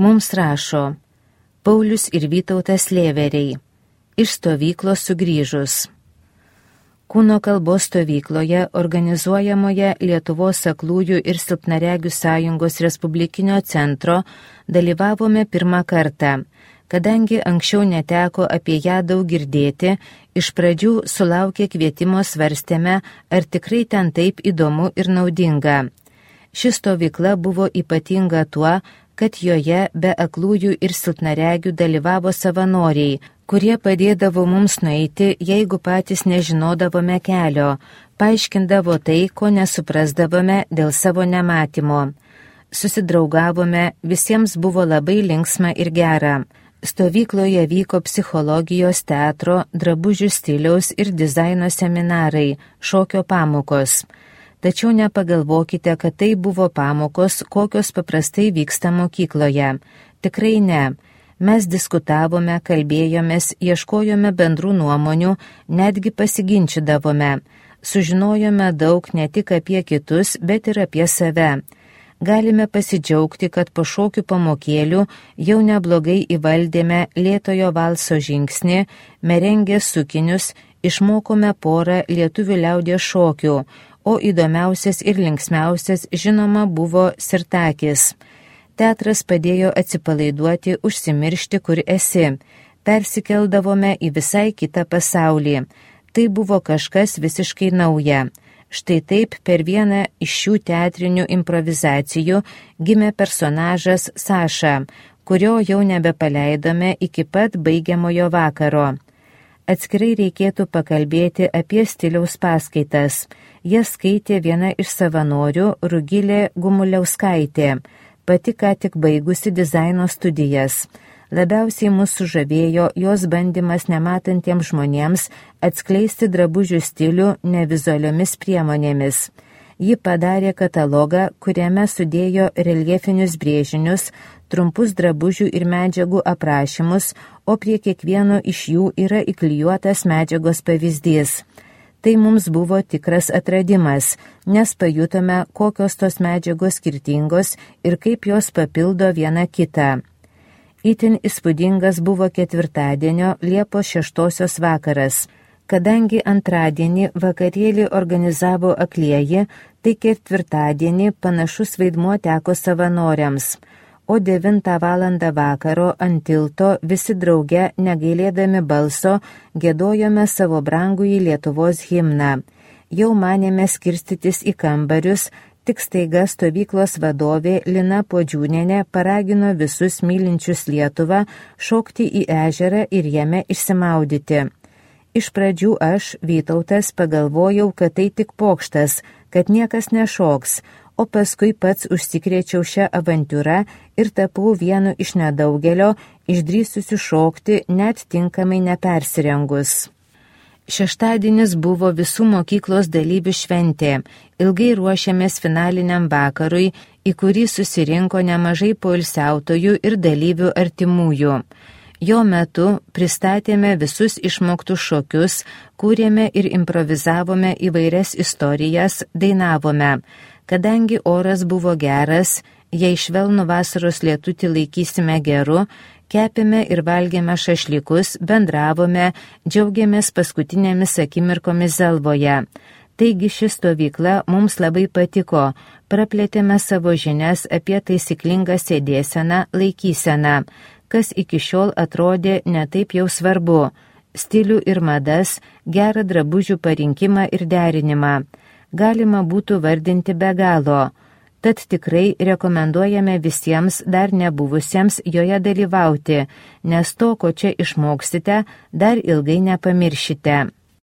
Mums rašo Paulius ir Vytautas Lėveriai. Iš stovyklos sugrįžus. Kūno kalbos stovykloje organizuojamoje Lietuvos aklųjų ir silpnaregių sąjungos Respublikinio centro dalyvavome pirmą kartą. Kadangi anksčiau neteko apie ją daug girdėti, iš pradžių sulaukė kvietimo svarstėme, ar tikrai ten taip įdomu ir naudinga. Ši stovykla buvo ypatinga tuo, kad joje be aklųjų ir silpnaregių dalyvavo savanoriai, kurie padėdavo mums nueiti, jeigu patys nežinodavome kelio, paaiškindavo tai, ko nesuprasdavome dėl savo nematymo. Susidraugavome, visiems buvo labai linksma ir gera. Stovykloje vyko psichologijos, teatro, drabužių stiliaus ir dizaino seminarai, šokio pamokos. Tačiau nepagalvokite, kad tai buvo pamokos, kokios paprastai vyksta mokykloje. Tikrai ne. Mes diskutavome, kalbėjomės, ieškojome bendrų nuomonių, netgi pasiginčydavome. Sužinojome daug ne tik apie kitus, bet ir apie save. Galime pasidžiaugti, kad po šokių pamokėlių jau neblogai įvaldėme lėtojo valso žingsnį, merengės sukinius, išmokome porą lietuvių liaudies šokių, o įdomiausias ir linksmiausias žinoma buvo sirtakis. Teatras padėjo atsipalaiduoti, užsimiršti, kur esi. Persikeldavome į visai kitą pasaulį. Tai buvo kažkas visiškai nauja. Štai taip per vieną iš šių teatrinių improvizacijų gimė personažas Saša, kurio jau nebepaleidome iki pat baigiamojo vakaro. Atskirai reikėtų pakalbėti apie stiliaus paskaitas. Jas skaitė viena iš savanorių Rugilė Gumuliauskaitė, pati ką tik baigusi dizaino studijas. Labiausiai mus sužavėjo jos bandymas nematantiems žmonėms atskleisti drabužių stilių nevizualiomis priemonėmis. Ji padarė katalogą, kuriame sudėjo reljefinius brėžinius, trumpus drabužių ir medžiagų aprašymus, o prie kiekvieno iš jų yra įklijuotas medžiagos pavyzdys. Tai mums buvo tikras atradimas, nes pajutome, kokios tos medžiagos skirtingos ir kaip jos papildo vieną kitą. Itin įspūdingas buvo ketvirtadienio Liepos 6 vakaras. Kadangi antradienį vakarėlį organizavo aklieji, tai ketvirtadienį panašus vaidmuo teko savanoriams. O 9 valandą vakaro ant tilto visi drauge, negailėdami balso, giedojome savo brangųjį Lietuvos himną. Jau manėme skirstytis į kambarius, tik staiga stovyklos vadovė Lina Podžiūnienė paragino visus mylinčius Lietuvą šokti į ežerą ir jame išsimaudyti. Iš pradžių aš, Vytautas, pagalvojau, kad tai tik pokštas, kad niekas nešoks, o paskui pats užsikrėčiau šią avantiūrą ir tapau vienu iš nedaugelio išdrįsusių šokti net tinkamai nepersirengus. Šeštadienis buvo visų mokyklos dalyvių šventė. Ilgai ruošėmės finaliniam vakarui, į kurį susirinko nemažai poilsiautojų ir dalyvių artimųjų. Jo metu pristatėme visus išmoktus šokius, kūrėme ir improvizavome įvairias istorijas, dainavome. Kadangi oras buvo geras, jei švelnų vasaros lietutį laikysime geru, kepėme ir valgėme šašlykus, bendravome, džiaugiamės paskutinėmis akimirkomis Zelvoje. Taigi ši stovykla mums labai patiko, praplėtėme savo žinias apie taisyklingą sėdėseną, laikyseną, kas iki šiol atrodė netaip jau svarbu, stilių ir madas, gerą drabužių parinkimą ir derinimą. Galima būtų vardinti be galo. Tad tikrai rekomenduojame visiems dar nebuvusiems joje dalyvauti, nes to, ko čia išmoksite, dar ilgai nepamiršite.